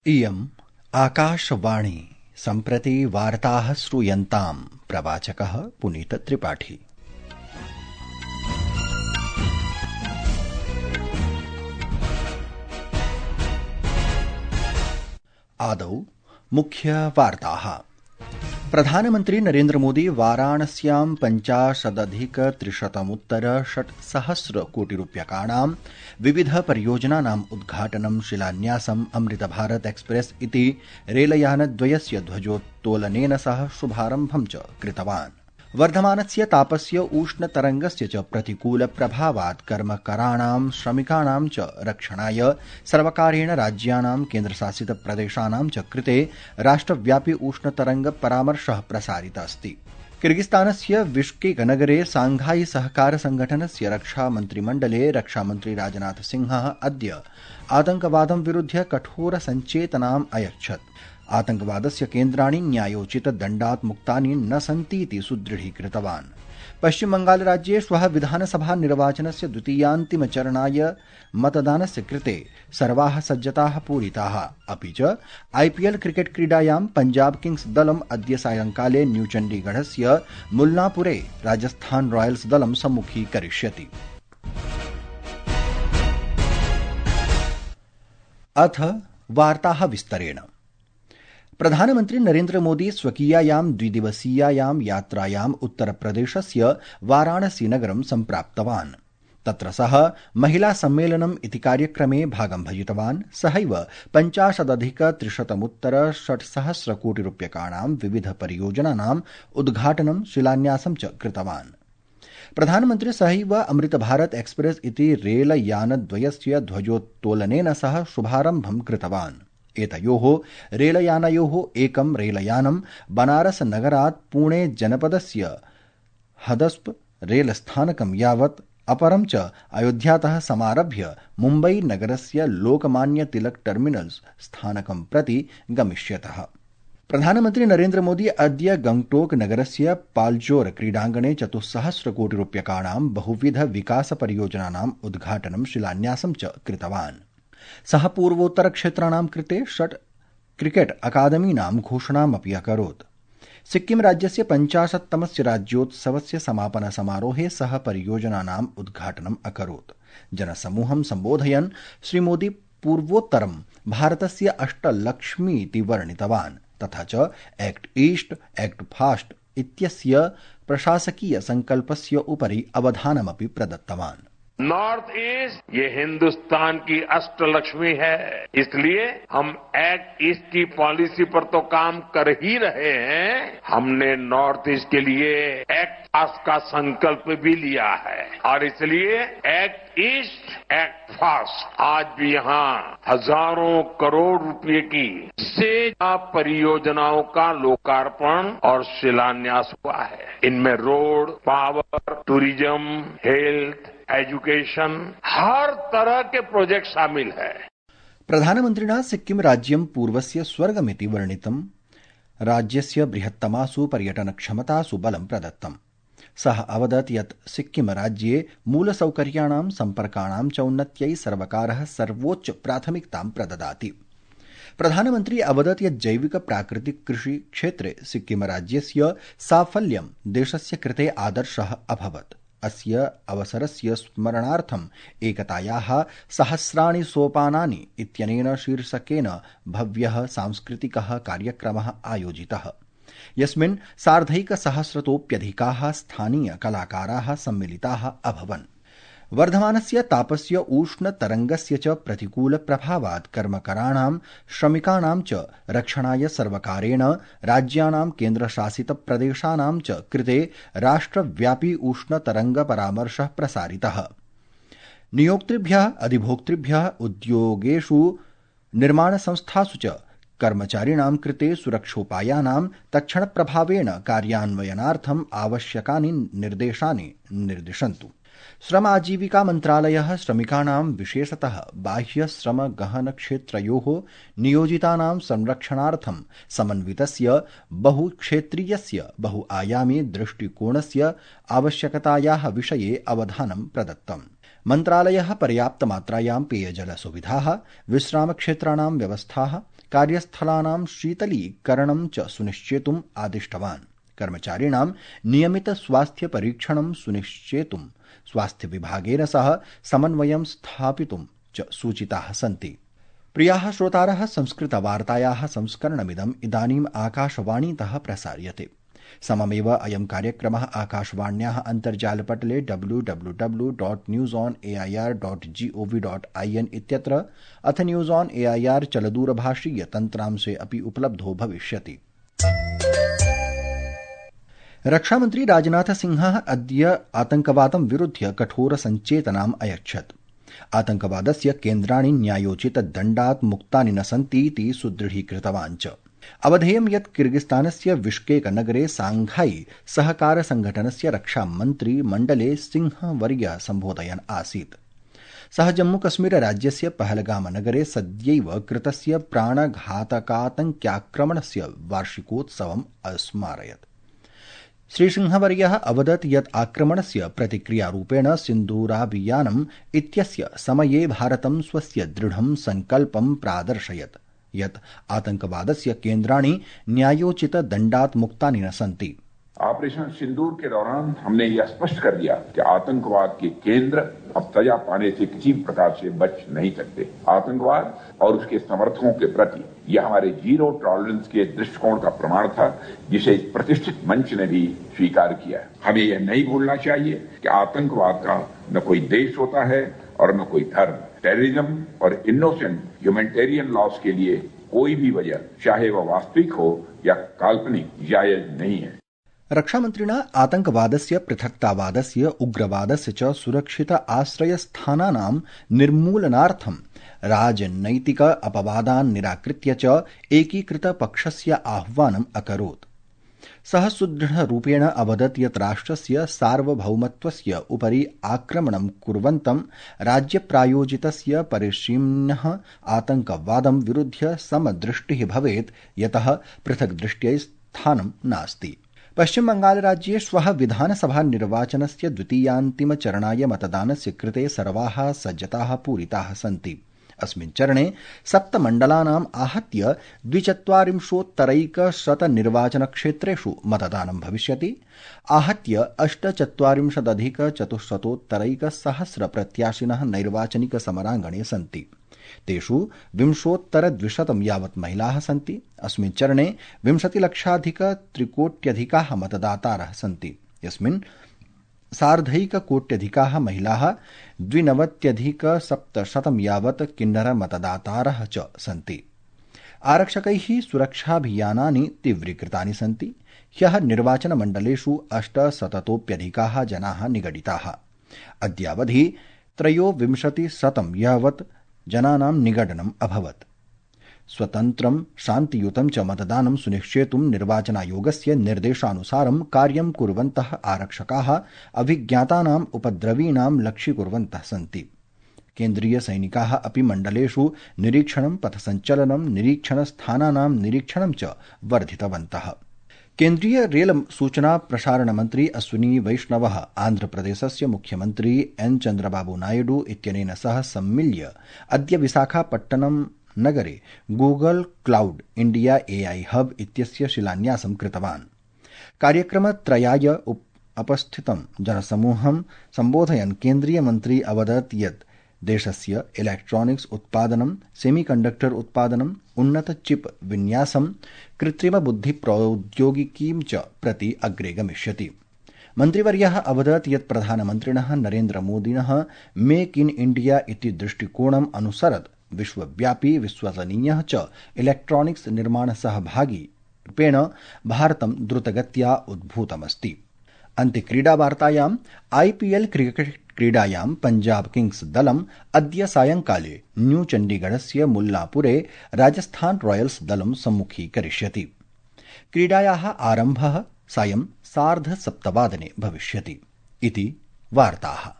इयम् आकाशवाणी सम्प्रति वार्ताः श्रूयन्ताम् प्रवाचकः पुनीतत्रिपाठी। आदौ मुख्यवार्ताः। प्रधानमन्त्री नरेन्द्र मोदी वाराणस्यां 50,300 कोटिरूप्यकाणां विविध परियोजनानाम् उद्घाटनं शिलान्यासम् अमृत भारत एक्सप्रेस इति रेलयानद्वयस्य ध्वजोत्तोलनेन सह शुभारम्भं च कृतवान्। वर्धमानस्य तापस्य उष्णतरङ्गस्य च प्रतिकूल प्रभावात् कर्मकराणां श्रमिकाणां च रक्षणाय सर्वकारेण राज्यानां केन्द्रशासित प्रदेशानां च कृते राष्ट्रव्यापी उष्णतरङ्ग परामर्शः प्रसारितः अस्ति। किर्गिस्तानस्य बिश्केक नगरे सांघाई सहकार संघटनस्य रक्षामन्त्रिमण्डले रक्षामन्त्री राजनाथ सिंहः अद्य आतङ्कवादं विरुध्य कठोर सञ्चेतनाम् अयच्छत्। आतङ्कवादस्य केन्द्राणि न्यायोचित दण्डात् मुक्तानि न सन्तीति सुदृढीकृतवान्। पश्चिमबंगाल राज्ये श्वः विधानसभा निर्वाचनस्य द्वितीयान्तिमचरणाय मतदानस्य कृते सर्वाः सज्जताः पूरिताः। अपि च आईपीएल क्रिकेट क्रीडायां पंजाब किंग्स दलम् अद्य सायंकाले न्यूचण्डीगढस्य मुल्लापुरे राजस्थान रॉयल्स दलं सम्मुखीकरिष्यति। अथ वार्ताः विस्तरेण। प्रधानमन्त्री नरेन्द्र मोदी स्वकीयायां द्विदिवसीयायां यात्रायाम् उत्तरप्रदेशस्य वाराणसी नगरं सम्प्राप्तवान्। तत्र सः महिला सम्मेलनम् इति कार्यक्रमे भागं भजितवान्। सहैव 50,300 कोटिरूप्यकाणां विविध परियोजनानाम् उद्घाटनं शिलान्यासं च कृतवान्। प्रधानमन्त्री सहैव अमृत भारत एक्सप्रेस इति रेलयानद्वयस्य ध्वजोत्तोलनेन सह शुभारम्भं कृतवान्। एतयोः रेलयानयोः एकं रेलयानं बनारस नगरात् पुणे जनपदस्य हदस्प रेलस्थानकं यावत्, अपरं च अयोध्यातः समारभ्य मुम्बई नगरस्य लोकमान्य तिलक टर्मिनल्स स्थानकं प्रति गमिष्यतः। प्रधानमन्त्री नरेन्द्र मोदी अद्य गंगटोक नगरस्य पाल्जोर क्रीडाङ्गणे 400 कोटिरूप्यकाणां बहुविध विकास परियोजनानाम् उद्घाटनं शिलान्यासं च कृतवान्। सः पूर्वोत्तरक्षेत्राणां कृते 6 क्रिकेट अकादमीनां घोषणामपि अकरोत्। सिक्किम राज्यस्य 50तमस्य राज्योत्सवस्य समापन समारोहे सः परियोजनानाम् उद्घाटनम् अकरोत्। जनसमूहं सम्बोधयन् श्रीमोदी पूर्वोत्तरं भारतस्य अष्टलक्ष्मी इति वर्णितवान्। तथा च एक्ट ईस्ट एक्ट फास्ट इत्यस्य प्रशासकीय संकल्पस्य उपरि अवधानमपि प्रदत्तवान्। नॉर्थ ईस्ट ये हिंदुस्तान की अष्टलक्ष्मी है, इसलिए हम एक्ट ईस्ट की पॉलिसी पर तो काम कर ही रहे हैं, हमने नॉर्थ ईस्ट के लिए एक्ट फास्ट का संकल्प भी लिया है और इसलिए एक्ट ईस्ट एक्ट फास्ट आज भी यहाँ हजारों करोड़ रुपए की से परियोजनाओं का लोकार्पण और शिलान्यास हुआ है। इनमें road, power, tourism, health, education, हर तरह के प्रोजेक्ट शामिल है। प्रधानमन्त्रिणा सिक्किम राज्यं पूर्वस्य स्वर्गमिति वर्णितम्। राज्यस्य बृहत्तमासु पर्यटनक्षमतासु बलं प्रदत्तम्। सः अवदत् यत् सिक्किम राज्ये मूलसौकर्याणां सम्पर्काणां च उन्नत्यै सर्वकारः सर्वोच्च प्राथमिकतां प्रददाति। प्रधानमन्त्री अवदत् यत् जैविक प्राकृतिक कृषि क्षेत्रे सिक्किम राज्यस्य साफल्यं देशस्य कृते आदर्शः अभवत्। अस्य अवसरस्य स्मरणार्थम् एकतायाः सहस्राणि सोपानानि इत्यनेन शीर्षकेन भव्यः सांस्कृतिकः कार्यक्रमः आयोजितः, यस्मिन् 1,200तोऽप्यधिकाः स्थानीय कलाकाराः सम्मिलिताः अभवन्। वर्धमानस्य तापस्य उष्णतरङ्गस्य च प्रतिकूल प्रभावात् कर्मकराणां श्रमिकाणां च रक्षणाय सर्वकारेण राज्यानां केन्द्रशासित प्रदेशानां च कृते राष्ट्रव्यापी उष्णतरङ्ग परामर्शः प्रसारितः। नियोक्तृभ्यः, अधिभोक्तृभ्यः, उद्योगेषु, निर्माणसंस्थासु च कर्मचारिणां कृते सुरक्षोपायानां तत्क्षणप्रभावेण कार्यान्वयनार्थम् आवश्यकानि निर्देशानि निर्दिशन्तु। श्रम आजीविका मन्त्रालयः श्रमिकाणां विशेषतः बाह्य श्रम गहन क्षेत्रयोः नियोजितानां संरक्षणार्थं समन्वितस्य बहुक्षेत्रीयस्य बहुआयामी दृष्टिकोणस्य आवश्यकतायाः विषये अवधानं प्रदत्तम्। मन्त्रालयः पर्याप्तमात्रायां पेयजलसुविधाः, विश्रामक्षेत्राणां व्यवस्थाः, कार्यस्थलानां शीतलीकरणं च सुनिश्चेतुम् आदिष्टवान्। कर्मचारिणां नियमित स्वास्थ्य परीक्षणं सुनिश्चेतुं स्वास्थ्य विभागेन सह समन्वयं स्थापितुं च सूचिताः सन्ति। प्रियाः श्रोतारः, संस्कृतवार्तायाः संस्करणमिदम् इदानीम् आकाशवाणीतः प्रसार्यते। सममेव अयं कार्यक्रमः आकाशवाण्याः अन्तर्जालपटले www.newsonair.gov.in इत्यत्र अथ न्यूज़ ऑन एआईआर चलदूरभाषीय तन्त्रांशे अपि उपलब्धो भविष्यति। रक्षामन्त्री राजनाथ सिंहः अद्य आतङ्कवादं विरुध्य कठोर सञ्चेतनाम् अयच्छत्। आतङ्कवादस्य केन्द्राणि न्यायोचितदण्डात् मुक्तानि न सन्तीति सुदृढीकृतवान् च। अवधेयं यत् किर्गिस्तानस्य बिश्केक नगरे सांघाई सहकार संघटनस्य रक्षामन्त्री मण्डले सिंहवर्यः सम्बोधयन् आसीत्। सः जम्मूकश्मीर राज्यस्य पहलगाम नगरे सद्यैव कृतस्य प्राणघातकातङ्क्याक्रमणस्य वार्षिकोत्सवम् अस्मारयत्। श्रीसिंहवर्यः अवदत् यत् आक्रमणस्य प्रतिक्रियारूपेण सिन्दूराभियानम् इत्यस्य समये भारतं स्वस्य दृढं सङ्कल्पं प्रादर्शयत् यत् आतंकवादस्य केन्द्राणि न्यायोचित दण्डात् मुक्तानि न सन्ति। ऑपरेशन सिंदूर के दौरान हमने यह स्पष्ट कर दिया कि आतंकवाद के केंद्र अब सजा पाने से किसी प्रकार से बच नहीं सकते। आतंकवाद और उसके समर्थकों के प्रति यह हमारे जीरो टॉलरेंस के दृष्टिकोण का प्रमाण था, जिसे इस प्रतिष्ठित मंच ने भी स्वीकार किया है। हमें यह नहीं भूलना चाहिए कि आतंकवाद का न कोई देश होता है और न कोई धर्म। टेररिज्म और इनोसेंट ह्यूमैनिटेरियन लॉस के लिए कोई भी वजह, चाहे वह वास्तविक हो या काल्पनिक, जायज नहीं है। रक्षामन्त्रिणा आतंकवादस्य, पृथक्तावादस्य, उग्रवादस्य च सुरक्षित आश्रयस्थानानां निर्मूलनार्थं राजनैतिक अपवादान् निराकृत्य च एकीकृत पक्षस्य आह्वानम् अकरोत्। सः सुदृढरूपेण अवदत् यत् राष्ट्रस्य सार्वभौमत्वस्य उपरि आक्रमणं कुर्वन्तं राज्यप्रायोजितस्य परिसीम्नः आतंकवादं विरुध्य समदृष्टिः भवेत्, यतः पृथक्दृष्ट्यै स्थानं नास्ति। पश्चिमबंगालराज्ये श्वः विधानसभा निर्वाचनस्य द्वितीयान्तिमचरणाय मतदानस्य कृते सर्वाः सज्जताः पूरिताः सन्ति। अस्मिन् चरणे 7 मण्डलानाम् आहत्य 240,100 निर्वाचनक्षेत्रेषु मतदानं भविष्यति। आहत्य 48,400 प्रत्याशिनः नैर्वाचनिक समराङ्गणे सन्ति। तेषु 20,200 यावत् महिलाः सन्ति। अस्मिन् चरणे 20,00,000 मतदातारः सन्ति। यस्मिन् 1,50,00,000 महिलाः, 92,700 यावत् किन्नर मतदातारः च सन्ति। आरक्षकैः सुरक्षाभियानानि तीव्रीकृतानि सन्ति। ह्यः निर्वाचनमण्डलेषु 800तोप्यधिकाः जनाः निगडिताः। अद्यावधि 2300 यावत् जनानां निगडनम् अभवत्। स्वतन्त्रं शान्तियुतं च मतदानं सुनिश्चेतुं निर्वाचनायोगस्य निर्देशानुसारं कार्यं कुर्वन्तः आरक्षकाः अभिज्ञातानाम् उपद्रवीणां लक्ष्यीकुर्वन्तः सन्ति। केन्द्रीय सैनिकाः अपि मण्डलेषु निरीक्षणं, पथसञ्चलनं, निरीक्षणस्थानानां निरीक्षणं च वर्धितवन्तः। केन्द्रीय रेल सूचना प्रसारण मन्त्री अश्विनी वैष्णवः आन्ध्रप्रदेशस्य मुख्यमन्त्री एन चन्द्रबाबू नायडू इत्यनेन सह सम्मिल्य अद्य विशाखापट्टनम नगरे Google cloud India AI hub इत्यस्य शिलान्यासं कृतवान्। कार्यक्रमत्रयाय उपस्थितं जनसमूहं सम्बोधयन् केन्द्रीय मन्त्री अवदत् यत् देशस्य इलेक्ट्रॉनिक्स उत्पादनं, सेमीकण्डक्टर उत्पादनं, उन्नत चिप विन्यासं, कृत्रिम बुद्धि प्रौद्योगिकीं च प्रति अग्रे गमिष्यति। मन्त्रिवर्यः अवदत् यत् प्रधानमन्त्रिणः नरेन्द्रमोदिनः मेक इन इंडिया इति दृष्टिकोणम् अनुसरत् विश्वव्यापी, विश्वसनीयः च इलेक्ट्रॉनिक्स निर्माण सहभागी रूपेण भारतं द्रुतगत्या उद्भूतमस्ति। अन्ते क्रीडावार्तायाम् आईपीएल क्रिकेट क्रीडायां पंजाब किंग्स दलम् अद्य सायंकाले न्यू चण्डीगढस्य मुल्लापुरे राजस्थान रॉयल्स दलं सम्मुखीकरिष्यति। क्रीडायाः आरम्भः सायं 7:30 भविष्यति। इति वार्ताः।